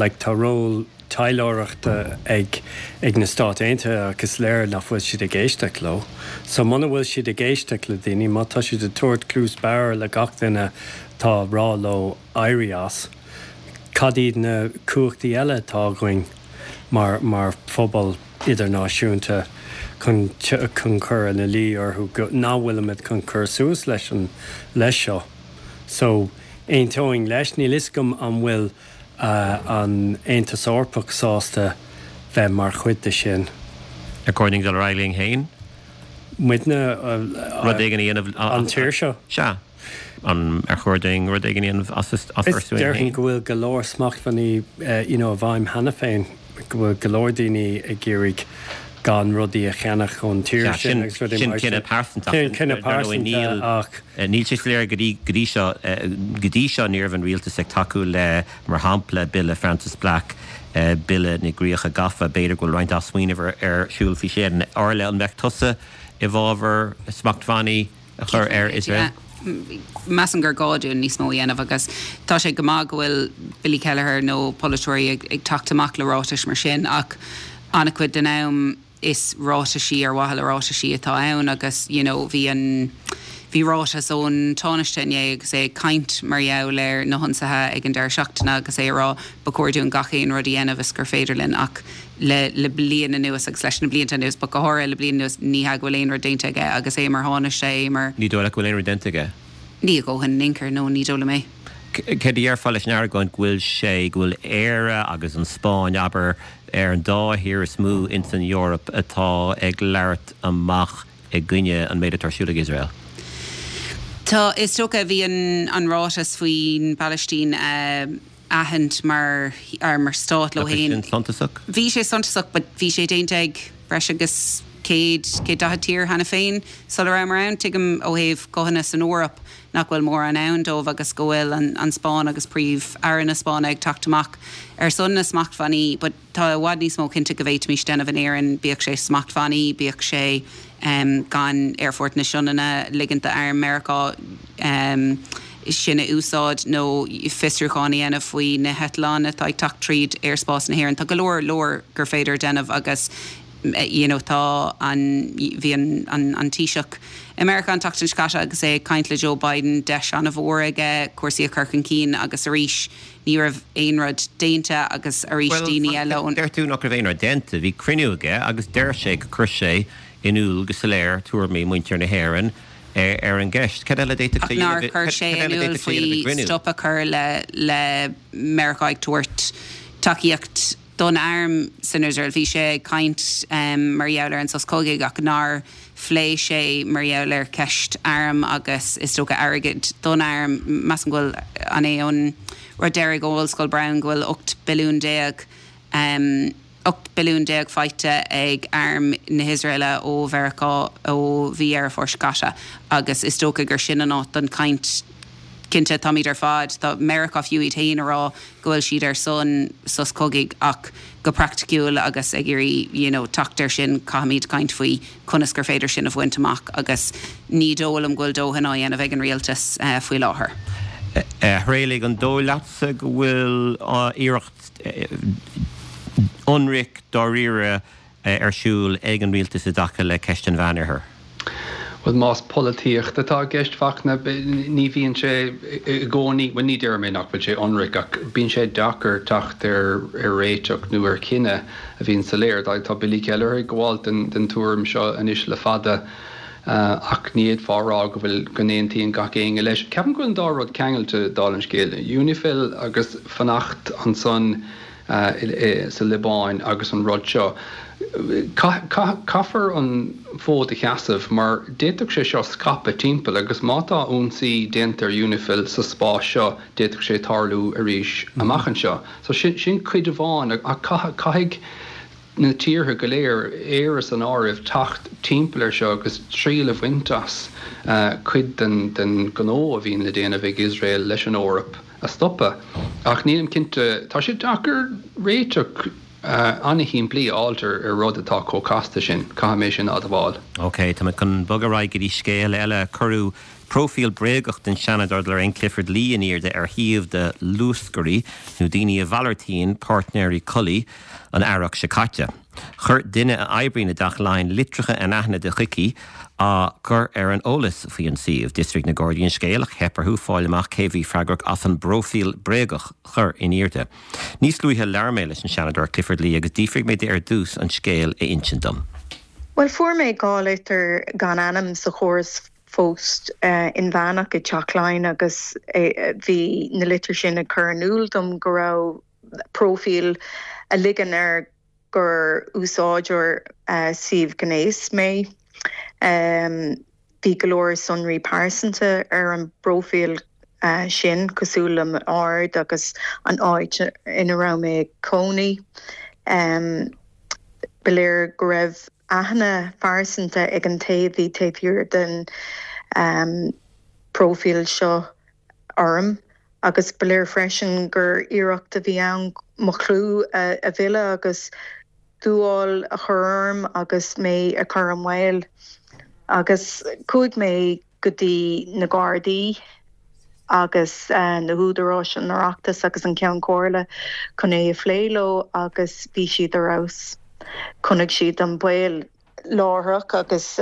[SPEAKER 3] like tá ról taidhleoireachta ag ag na Stáit Aontaithe ach is léir nach bhfuil siad ag éisteacht leo. So muna bhfuil siad ag éisteacht le daoine, má tá siad ag tabhairt cluas bodhar le gach duine atá ag rá leo éirí as, cad iad na cumhachtaí eile atá againn mar mar phobal idirnáisiúnta chun chun cur ina luí orthu go nach bhfuilimid chun cur suas leis an leis seo. So aontóinn leis, níl fhios agam an bhfuil an Aontas Eorpach sásta bheith mar chuid de sin.
[SPEAKER 1] Ar chóir dúinn dul ar aghaidh linn féin?
[SPEAKER 3] Muidne?
[SPEAKER 1] Rud éigin a dhéanamh?
[SPEAKER 3] An tír seo?
[SPEAKER 1] Sea. An ar chóir dúinn rud éigin a dhéanamh as ár suain féin?
[SPEAKER 3] Déarfainn go bhfuil go leor smachtbhannaí you know i bhfeidhm cheana féin, go bhfuil go leor daoine ag iarraidh gan rudaí a cheannach ón tír sin agus rudaí
[SPEAKER 1] Sin
[SPEAKER 3] mar sin.
[SPEAKER 1] cinneadh pearsanta.
[SPEAKER 3] Sin cinneadh pearsanta ach.
[SPEAKER 1] Níl sé soiléir go dtí go dtí seo go dtí seo ní raibh an rialtas ag tacú le, mar shampla, Bille Frances Black, Bille na gCríocha Gafa. B'fhéidir go bhfuil roinnt athsmaoinimh ar siúl faoi sin. Orla, an mbeadh tusa i bhfabhar smachtbhannaí a chur ar Iosrael?
[SPEAKER 2] Measaim gur gá dúinn níos mó a dhéanamh agus tá sé go maith go bhfuil Billy Kelleher nó polaiteoirí ag teacht amach le ráitis mar sin ach an-chuid den am is ráitisí ar mhaithe le ráitisí atá ann agus you know bhí an bhí ráiteas ón Tánaiste inné agus é ag caint mar gheall ar na hionsaithe ag an deireadh seachtaine agus é ag rá ba chóir dúinn gach aon rud a dhéanamh is gur féidir linn ach le le bliain anuas agus leis na blianta anuas but go háirithe le bliain anuas ní hea go bhfuil aon rud déanta aige agus é mar Thánaiste é mar
[SPEAKER 1] Ní dóigh leat go bhfuil aon rud déanta aige?
[SPEAKER 2] Ní a dhóthain in aon chor, no ní dóigh liom é.
[SPEAKER 1] Céard a déarfá leis an argóint go bhfuil sé, go bhfuil Éire agus an Spáinn, abair, ar an dá thír is mó ins an Eoraip atá ag labhairt amach i gcoinne an méid atá ar siúl ag Iosrael?
[SPEAKER 2] Tá, is dócha, bhí an an ráiteas faoin bPalaistín a aithint mar mar stát leo
[SPEAKER 1] Nach é
[SPEAKER 2] féin.
[SPEAKER 1] sin suntasach?
[SPEAKER 2] Bhí sé suntasach but bhí sé déanta ag breis agus céad, céad daichead tír cheana féin sula rabhamar ann. Tuigim ó thaobh guthanna san Eoraip nach bhfuil mórán ann dóibh agus go bhfuil an an Spáinn agus Príomh-Aire na Spáinne ag teacht amach ar son na smachtbhannaí but tá i bhfad níos mó cinnte go bhféadfaimis déanamh in Éirinn, bíodh sé smachtbhannaí, bíodh sé gan Aerfort na Sionainne ligint d'arm Meiriceá sin a úsáid nó fiosrúchán a dhéanamh faoi na heitleáin atá ag teacht tríd aerspás na hÉireann. Tá go leor leor gur féidir déanamh agus you know tá an bhí an an an Taoiseach i Meiriceá an tseachtain seo caite agus é ag caint le Joe Biden, deis an-mhór aige cúrsaí a chur chun cinn agus arís ní raibh aon rud déanta agus arís
[SPEAKER 1] Bhuel,
[SPEAKER 2] daoine eile ón.
[SPEAKER 1] deir tú nach raibh aon rud déanta. Bhí cruinniú aige agus deir sé gur chuir sé in iúl go soiléir tuairimí muintir na hÉireann ar an gceist. Cad eile a d'fhéadfadh
[SPEAKER 2] Ach
[SPEAKER 1] sé a
[SPEAKER 2] nár
[SPEAKER 1] dhéanamh,
[SPEAKER 2] chuir sé
[SPEAKER 1] cad
[SPEAKER 2] in
[SPEAKER 1] eile a
[SPEAKER 2] iúl
[SPEAKER 1] d'fhéadfadh sé a dhéanamh i
[SPEAKER 2] faoi
[SPEAKER 1] gcruinniú?
[SPEAKER 2] stop a chur le le Meiriceá ag tabhairt tacaíocht don arm san Iosrael. Bhí sé ag caint mar gheall ar an sos cogaidh ach nár phléigh sé mar gheall ar ceist arm agus is dócha airgead don arm. Measaim go bhfuil an é an rud deiridh ó Ollscoil Brown go bhfuil ocht billiún déag ocht billiún déag faighte ag arm na hIosraeile ó Mheiriceá ó mhí Dheireadh Fómhair seo caite agus is dócha gur sin an áit don chaint. Cinnte, táimid ar fad, tá Meiriceá fiú iad féin a rá go bhfuil siad ar son sos cogaidh ach go praiticiúil agus ag iarraidh you know teacht air sin caithfimid caint faoi conas gur féidir sin a bhaint amach agus ní dóigh liom go bhfuil dóthain á dhéanamh ag an rialtas faoi láthair.
[SPEAKER 1] A Thraolaigh, an dóigh leatsa go bhfuil iarracht ionraic dáiríre ar siúl ag an rialtas i dtaca le ceist an Mheánoirthir?
[SPEAKER 4] Bhuel, más polaitíocht atá i gceist, Fachtna, ní bhíonn sé i gcónaí, bhuel, ní déarfaidh mé nach bhfuil sé ionraic, ach bíonn sé deacair teacht ar réiteach nó ar chinneadh a bhíonn soiléir. Tá Billy Kelleher ag gabháil den tuairim seo anois le fada, ach ní fhéadfá a rá go bhfuil, go n-aontaíonn gach éinne leis. Ceapaim go bhfuil an dá rud ceangailte, dála an scéil, Unifil agus fanacht ansan sa Liobáin agus an rud seo. Caithfear an fód a sheasamh mar d'fhéadfadh sé seo scaipeadh timpeall agus má tá ionsaí déanta ar Unifil sa spás seo d'fhéadfadh sé tarlú arís amach anseo. So sin sin cuid amháin ach caithfidh na tíortha go léir, Éire san áireamh, teacht timpeall ar seo agus triail a bhaint as cuid den den ghnó a bhíonn le déanamh ag Iosrael leis an Eoraip a stopadh. Ach nílim cinnte, tá sé deacair réiteach an-shimplí a fháilt ar rud atá chomh casta sin, caithfidh mé sin a admháil.
[SPEAKER 1] Ok, tá mé chun bogadh ar aghaidh go dtí scéal eile. Cuireadh próifíl bréagach den Seanadóir Lorraine Clifford-Lee in airde ar shuíomh de luascairí, nó daoine a mhalartaíonn páirtnéirí collaí, an earrach seo caite. Chuir duine a oibríonn i dTeach Laighean litreacha anaithnide chuici á cur ar an eolas faoi an suíomh. D'fhiosraigh na Gardaí an scéal ach theip orthu fáil amach cé bhí freagrach as an bpróifíl bréagach a chur in airde. Níos luaithe labhair mé leis an Seanadóir Clifford Lee agus d'fhiafraigh mé di ar dtús an scéal a insint dom.
[SPEAKER 5] Bhuel, fuair mé dhá litir gan ainm sa chóras phost inmheánach i dTeach Laighean agus bhí na litir sin ag cur in iúl dom go raibh próifíl a ligeann air gur úsáideoir suíomh gnéis mé. Bhí go leor sonraí pearsanta ar an bpróifíl sin, cosúil le m'aird agus an áit ina raibh mé ag cónaí. Ba léir go raibh aithne phearsanta ag an té a bhí taobh thiar den bpróifíl seo orm agus ba léir freisin gur iarracht a bhí ann mo chlú a mhilleadh agus dúmhál a chur orm agus mé a chur i mbaol. Agus chuaigh mé go dtí na Gardaí agus na húdaráis, an Oireachtas agus an Ceann Comhairle chun é a phlé leo agus bhí siad ar fheabhas. Chonaic siad an baol láithreach agus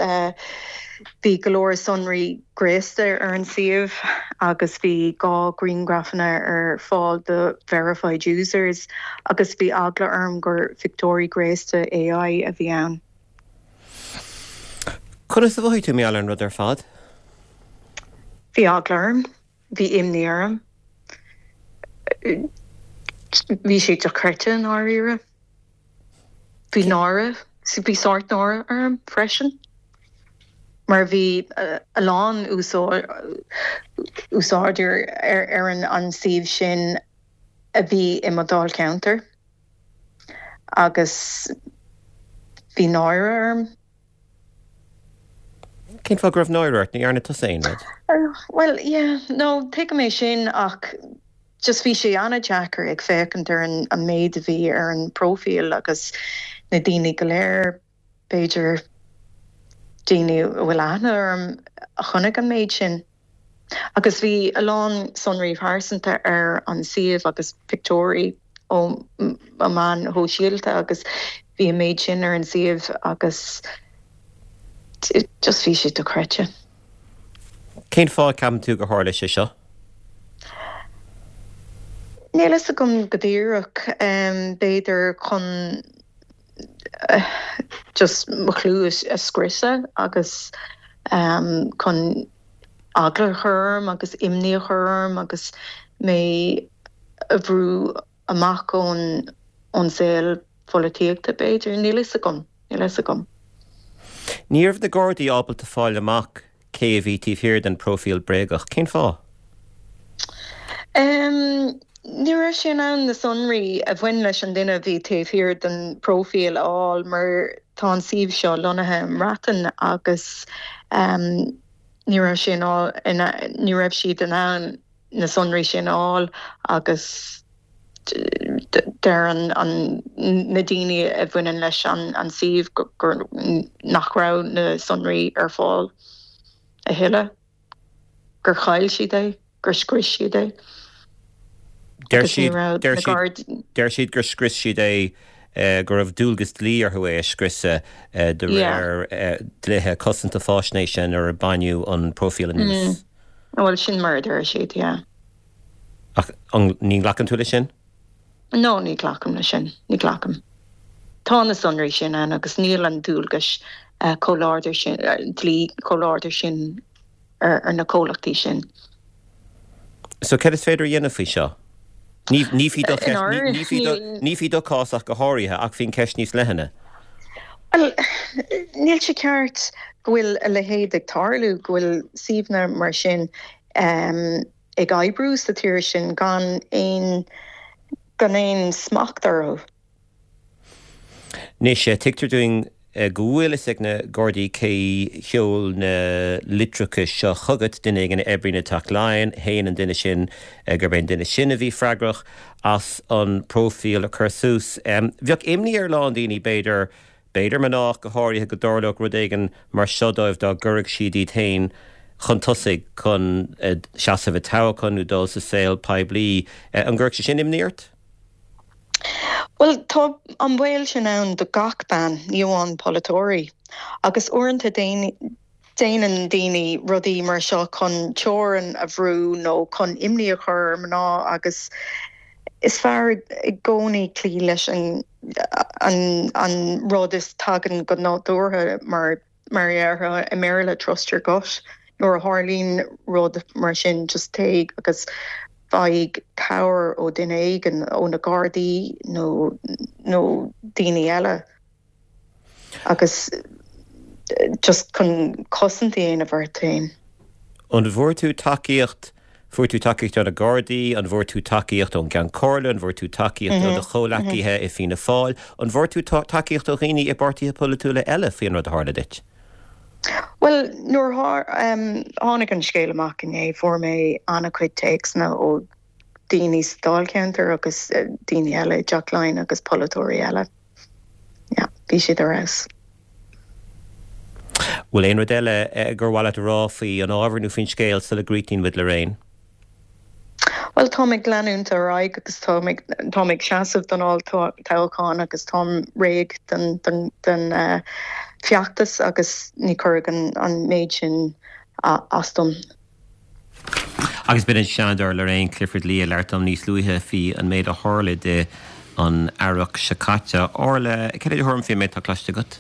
[SPEAKER 5] bhí go leor sonraí gréasta ar an suíomh agus bhí dhá grianghrafanna ar fáil do verified users agus bhí eagla orm gur phictiúirí gréasta AI a bhí ann.
[SPEAKER 1] Conas a mhothaigh tú mar gheall ar an rud ar fad?
[SPEAKER 5] Bhí eagla orm, bhí imní orm. Bhí sé dochreidte i ndáiríre. Bhí náire, bhí sórt náire orm freisin mar bhí a lán úsáideoir ar an suíomh sin a bhí i mo dháilcheantar agus bhí náire orm.
[SPEAKER 1] Cén fáth go raibh náire ort? Ní dhearna tusa aon rud?
[SPEAKER 5] Bhuel, yeah, no, tuigim é sin ach just bhí sé an-deacair ag féachaint ar an an méid a bhí ar an bpróifíl agus na daoine go léir, b'fhéidir daoine a bhfuil aithne orm a chonaic an méid sin. Agus bhí a lán sonraí pearsanta ar an suíomh agus pictiúirí ó mo mheáin shóisialta agus bhí an méid sin ar an suíomh agus just bhí sé dochreidte.
[SPEAKER 1] Cén fáth a gceapann tú gur tharla sé seo?
[SPEAKER 5] Níl fhios agam go díreach, b'fhéidir chun just mo chlú a scriosadh agus chun eagla a chur orm agus imní a chur orm agus mé a bhrú amach ón ón saol pholaitíochta b'fhéidir, níl fhios agam, níl fhios agam.
[SPEAKER 1] Ní raibh na Gardaí ábalta fáil amach cé a bhí taobh thiar den próifíl bréagach. Cén fáth?
[SPEAKER 5] Um, ní raibh sé in ann na sonraí a bhain leis an duine a bhí taobh thiar den próifíl a fháil mar tá an suíomh seo lonnaithe i mBreatain agus um, ní raibh sé ní raibh siad in ann na sonraí sin a fháil agus deir an, an na daoine a bhaineann leis an, an suíomh gur nach raibh na sonraí ar fáil a thuilleadh, gur chaill siad é, gur scrios siad é.
[SPEAKER 1] Deir siad deir siad gur scrios siad é eh, go raibh dualgas dlí orthu é a scriosadh eh, de réir eh, dlíthe cosanta faisnéise nuair a baineadh an próifíl anuas.
[SPEAKER 5] Mm. Bhuel sin mar a deir siad, yeah.
[SPEAKER 1] Ach ní ghlacann tú leis sin?
[SPEAKER 5] No, ní ghlacaim leis sin, ní ghlacaim. Tá na sonraí sin ann agus níl an dualgas uh, chomh láidir sin uh, dlí chomh láidir sin ar, ar na comhlachtaí sin.
[SPEAKER 1] So cad is féidir a dhéanamh faoi seo? Ní ní faoi do chás ach go háirithe ach faoin cheist níos leithne.
[SPEAKER 5] Well, níl sé ceart go bhfuil a leithéid ag tarlú go bhfuil suíomhanna mar sin um, ag oibriú sa tír sin gan aon gan aon smacht orthu.
[SPEAKER 1] Anois tuigtear dúinn go bhfuil fhios ag na Gardaí cé sheol na litreacha seo chugat duine éigin a oibríonn i dTeach Laighean, shéan an duine sin gurb é an duine sin a bhí freagrach as an próifíl a chur suas. Bheadh imní ar a lán daoine b'fhéidir b'fhéidir mná go háirithe go dtarlódh rud éigin mar seo dóibh dá gcuirfeadh siad iad féin chun tosaigh chun seasamh i dtoghchán nó dul sa saol poiblí. An gcuirfeadh sé sin imní ort?
[SPEAKER 5] Well tá an baol sin ann do gach bean, ní amháin polaiteoirí. Agus uaireanta déanann daoine rudaí mar seo chun teorainn a bhrú nó chun imní a chur ar mná agus is fearr i gcónaí cloí leis an an, an rud is tagann go nádúrtha mar mar a déarfá i mBéarla trust your gut. Nuair a tharlaíonn rud mar sin just téigh agus faigh cabhair ó duine éigin ó na Gardaí nó nó daoine eile agus just chun cosaint a dhéanamh ort féin.
[SPEAKER 1] An bhfuair tú tacaíocht fuair tú tacaíocht ó na Gardaí, an bhfuair tú tacaíocht ón gCeann Comhairle, an bhfuair tú tacaíocht ó do chomhghleacaithe i Fianna Fáil, an bhfuair tú tacaíocht ó dhaoine i bpáirtithe polaitiúla eile faoin rud a tharla duit?
[SPEAKER 5] Well nuair um, tháinig an scéal amach inné fuair mé an-chuid téacsanna ó daoine sa dáilcheantar agus eh, daoine eile Teach Laighean agus polaiteoirí eile. Ja, bhí siad ar fheabhas.
[SPEAKER 1] Bhfuil aon rud eile eh, gur mhaith leat a rá faoi an ábhar nó faoin scéal sula gcríochnaíonn muid Lorraine?
[SPEAKER 5] Well tá ag leanúint ar aghaidh agus tá tá ag seasamh don olltoghchán agus táim réidh den den den uh, feachtas agus ní chuirfidh an, an méid sin uh, as dom.
[SPEAKER 1] Agus b'in an Seanadóir Lorraine Clifford Lee a labhair liom níos luaithe faoi an méid a tharla di an earrach seo caite. Orla cad é do thuairim faoin méid atá cloiste agat?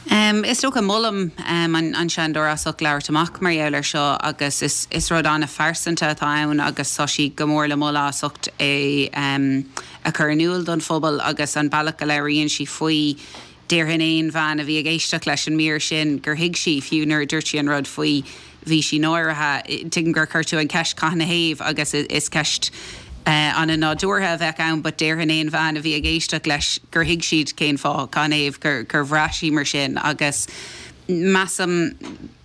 [SPEAKER 2] Um, is dócha molaim um, an, an Seanadóir as ucht labhairt amach mar gheall air seo agus is, is rud an-phearsanta atá ann agus tá sí go mór le moladh as ucht é um, a chur in iúl don phobal agus an bealach go labhraíonn sí faoi déarfainn aon bhean a bhí ag éisteacht leis an mír sin gur thuig sí fiú nuair a dúirt sí an rud faoi bhí sí náirithe tuigim gur chuir tú an ceist cathain ina thaobh agus is ceist uh, an-nádúrtha a bheith ann, but déarfainn aon bhean a bhí ag éisteacht leis gur thuig siad cén fáth cathain ina thaobh gur gur bhraith sí mar sin agus measaim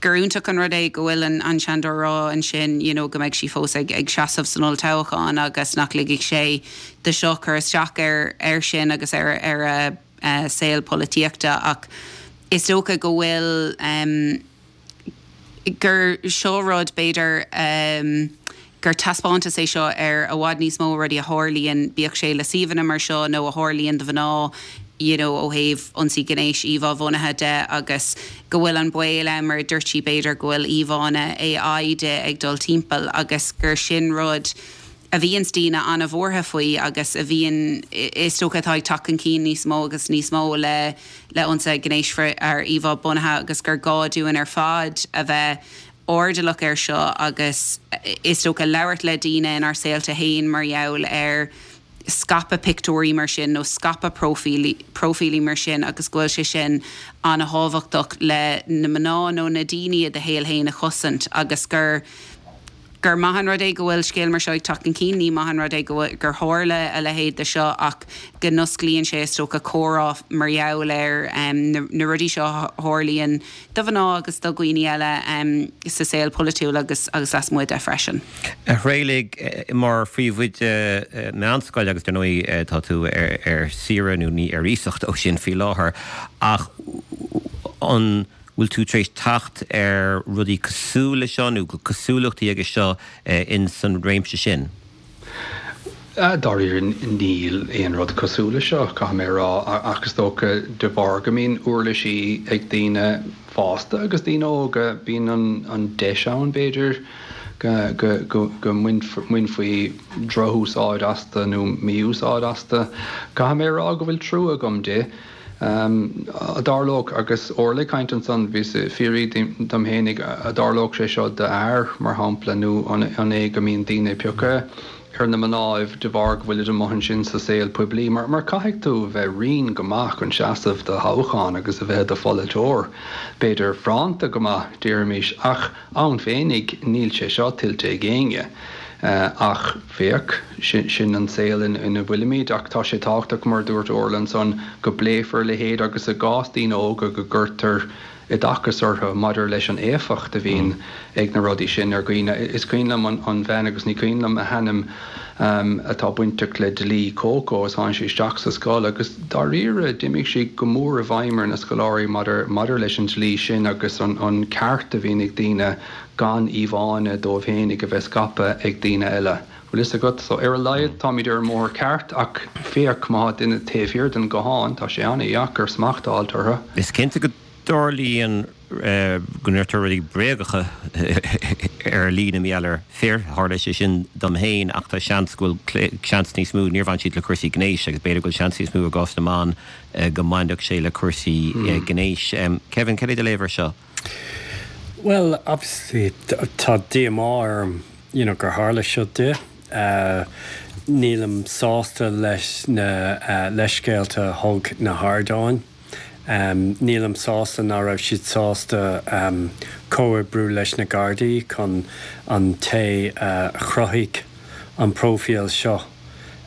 [SPEAKER 2] gur iontach an rud é go bhfuil an, an Seanadóir rá ansin you know, go mbeidh sí fós ag, ag seasamh san olltoghchán agus nach ligfidh sé de seo cur isteach ar ar sin agus ar ar a uh, saol polaitíochta ach is dócha go bhfuil um, gur seo rud b'fhéidir um, gur taispeántas é seo ar i bhfad níos mó rudaí a tharlaíonn bíodh sé le suíomhanna mar seo nó a tharlaíonn do mhná you know, ó thaobh ionsaí gnéis íomhá-bhunaithe de agus go bhfuil an baol ann mar dúirt sí b'fhéidir go bhfuil íomhánna AI de ag dul timpeall agus gur sin rud a bhíonn daoine an-bhuartha faoi agus a bhíonn is dócha atá ag teacht chun cinn níos mó agus níos mó le le ionsaí gnéis ar íomhá bunaithe agus gur gá dúinn ar fad a bheith airdeallach ar seo agus is dócha labhairt le daoine inár saolta féin mar gheall ar scaipeadh pictiúirí mar sin nó scaipeadh próifílí próifílí mar sin agus go bhfuil sé sin an-thábhachtach le na mná nó na daoine i do shaol féin a chosaint agus gur gur maith an rud é go bhfuil scéal mar seo ag teacht chun cinn, ní maith an rud é go gur tharla a leithéid de seo ach go n-osclaíonn sé is dócha comhrá mar gheall ar na rudaí seo a tharlaíonn do mhná agus do dhaoine eile sa saol polaitiúil agus agus lasmuigh de freisin.
[SPEAKER 1] A Thraolaigh, mar phríomhoide meánscoile agus dar ndóigh tá tú ar saoire nó ní ar iasacht ó sin faoi láthair ach an bhfuil tú tar éis teacht ar rudaí cosúil leis seo nó cosúlachtaí aige seo in san réimse sin?
[SPEAKER 4] Dáiríre níl aon rud cosúil leis seo, caithfidh mé a rá, ach is dócha de bharr go mbíonn uirlisí ag daoine fásta agus daoine óga, bíonn an deis ann b'fhéidir go go mbainfí drochúsáid astu nó mí-úsáid astu. Caithfidh mé a rá go bhfuil trua agam di. An dtarlódh, agus Orla ag caint ansan, bhíos ag fiafraí dom fhéinig, an dtarlódh sé seo d'fhear, mar shampla, nó an é go mbíonn daoine ag piocadh ar na mnáibh de bharr go bhfuilid amuigh ansin sa saol poiblí? Mar mar caithfidh tú bheith righin go maith chun seasamh do thoghchán agus a bheith i do pholaiteoir, b'fhéidir fránta go maith, déarfaimis, ach ann féinig níl sé seo tuillte ag éinne. Ach féach, sin an saol ina bhfuilimid. Ach tá sé tábhachtach, mar a dúirt Orla ansan, go bpléifear a leithéid agus i gcás daoine óga go gcuirtear oideachas orthu maidir leis an éifeacht a bhíonn ag na rudaí sin ar dhaoine. Is cuimhin liom an bhean, agus ní cuimhin liom a hainm, atá bainteach le dlí Coco is tháinig sí isteach sa scoil agus dáiríre d'imigh sí go mór i bhfeidhm ar na scoláirí maidir maidir leis an dlí sin agus an ceart a bhíonn ag daoine gan íomhánna dóibh fhéinig a bheith scaipthe ag daoine eile. Bhfuil fhios agat? So, ar a laghad, táimid ar an mbóthar ceart, ach féach, má tá duine taobh thiar den ghuthán, tá sé an-dheacair smacht a fháilt orthu.
[SPEAKER 1] Is cinnte go dtarlaíonn go ndeirtear rudaí bréagacha ar líne mar gheall ar fir, tharla sé sin dom féin, ach tá seans go bhfuil seans níos mó, níor bhain siad le cúrsaí gnéis agus b'fhéidir go bhfuil seans níos mó i gcás na mban go mbainfeadh sé le cúrsaí gnéis. Kevin, cad é do léamh air seo?
[SPEAKER 3] Bhuel, obviously tá díomá orm you know gur tharla seo di. Nílim sásta leis na leithscéalta a thug na hardáin. Nílim sásta nach raibh siad sásta comhoibriú leis na Gardaí chun an té a chruthaigh an próifíl seo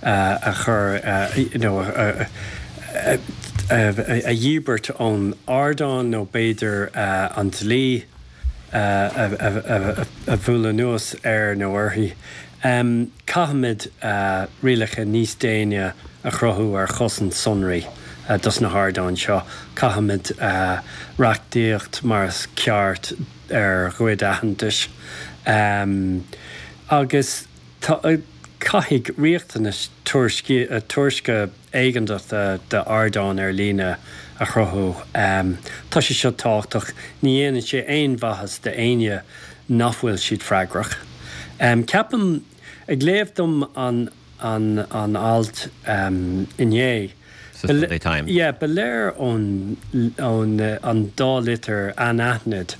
[SPEAKER 3] a chur you know a dhíbirt ón ardán nó b'fhéidir an dlí a bhualadh anuas air nó uirthi. Caithfimid rialacha níos déine a chruthú ar chosaint sonraí dos na hardáin seo. Caithfimid reachtaíocht mar is ceart ar ghoid aitheantais agus caithfidh riachtanas tuairisce éigeantach d'ardáin ar líne a chruthú. Tá sé seo tábhachtach. Ní dhéanann sé aon mhaitheas d'éinne nach bhfuil siad freagrach. Ceapaim, ag léamh dom an an alt inné,
[SPEAKER 1] Sa Sunday Times.
[SPEAKER 3] Yeah, ba léir ón ón an dá litir anaithnid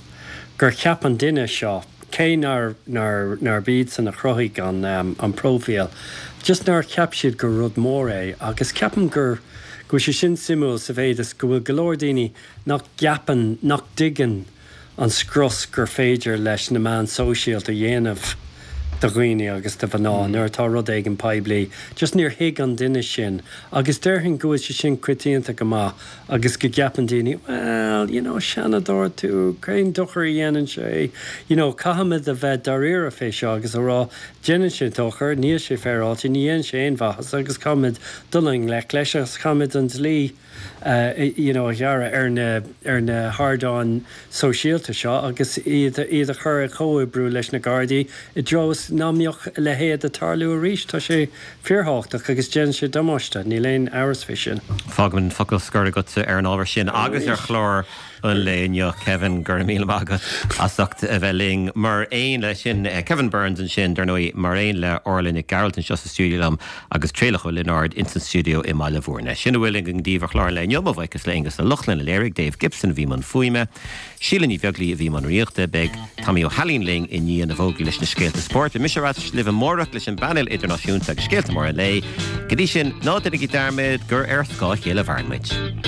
[SPEAKER 3] gur cheap an duine seo, cé nár nár nárb iadsan a chruthaigh an an próifíl, just nár cheap siad gur rud mór é agus ceapaim gur go bhfuil sé sin suimiúil sa mhéid is go bhfuil go leor daoine nach gceapann, nach dtuigeann an scrios gur féidir leis na meáin sóisialta a dhéanamh do dhaoine agus do mhná nuair atá rud éigin poiblí. Just níor thuig an duine sin agus déarfainn go bhfuil sé sin coitianta go maith agus go gceapann daoine, well, you know, seanadóir tú, cén dochar a dhéanann sé? You know, caithfimid a bheith dáiríre fé seo agus a rá, déanann sé dochar, níl sé féaráilte, ní dhéanann sé aon mhaitheas agus caithfimid dul i ngleic leis agus caithfimid an dlí you know, a ghearradh ar na ar na hardáin sóisialta seo agus iad iad a chur ag comhoibriú leis na Gardaí i dtreo is ná mbeadh a leithéid ag tarlú arís. Tá sé fíorthábhachtach agus déanann sé damáiste, níl aon amhras fé sin.
[SPEAKER 1] Fágaim an focal scoir agatsa ar an ábhar sin agus ar chlár an lae inniu Kevin go raibh míle maith agat as ucht a bheith linn mar aon le sin eh, Kevin Burns ansin dar ndóigh mar aon le Orla Nic Gearailt anseo sa stiúideo liom agus Traolach Ó Lionáird ins an stiúideo i mBaile Bhúirne. Sin a bhfuil againn daoibh ar chlár an lae inniu mo bhuíochas le Aonghus Ó Lochlainn a léirigh Dave Gibson a bhí i mbun fuaime, Síle Ní Bheaglaoí a bhí i mbun rúnaíochta, beidh Tommy Ó hAilín linn i ndiaidh na bhfógraí leis na scéalta spóirt. Beidh mise ar ais libh amárach leis an bpainéal idirnáisiúnta agus scéalta móra an lae. Go dtí sin, ná déanaigí dearmad gur ar scáth a chéile a mhaireann muid.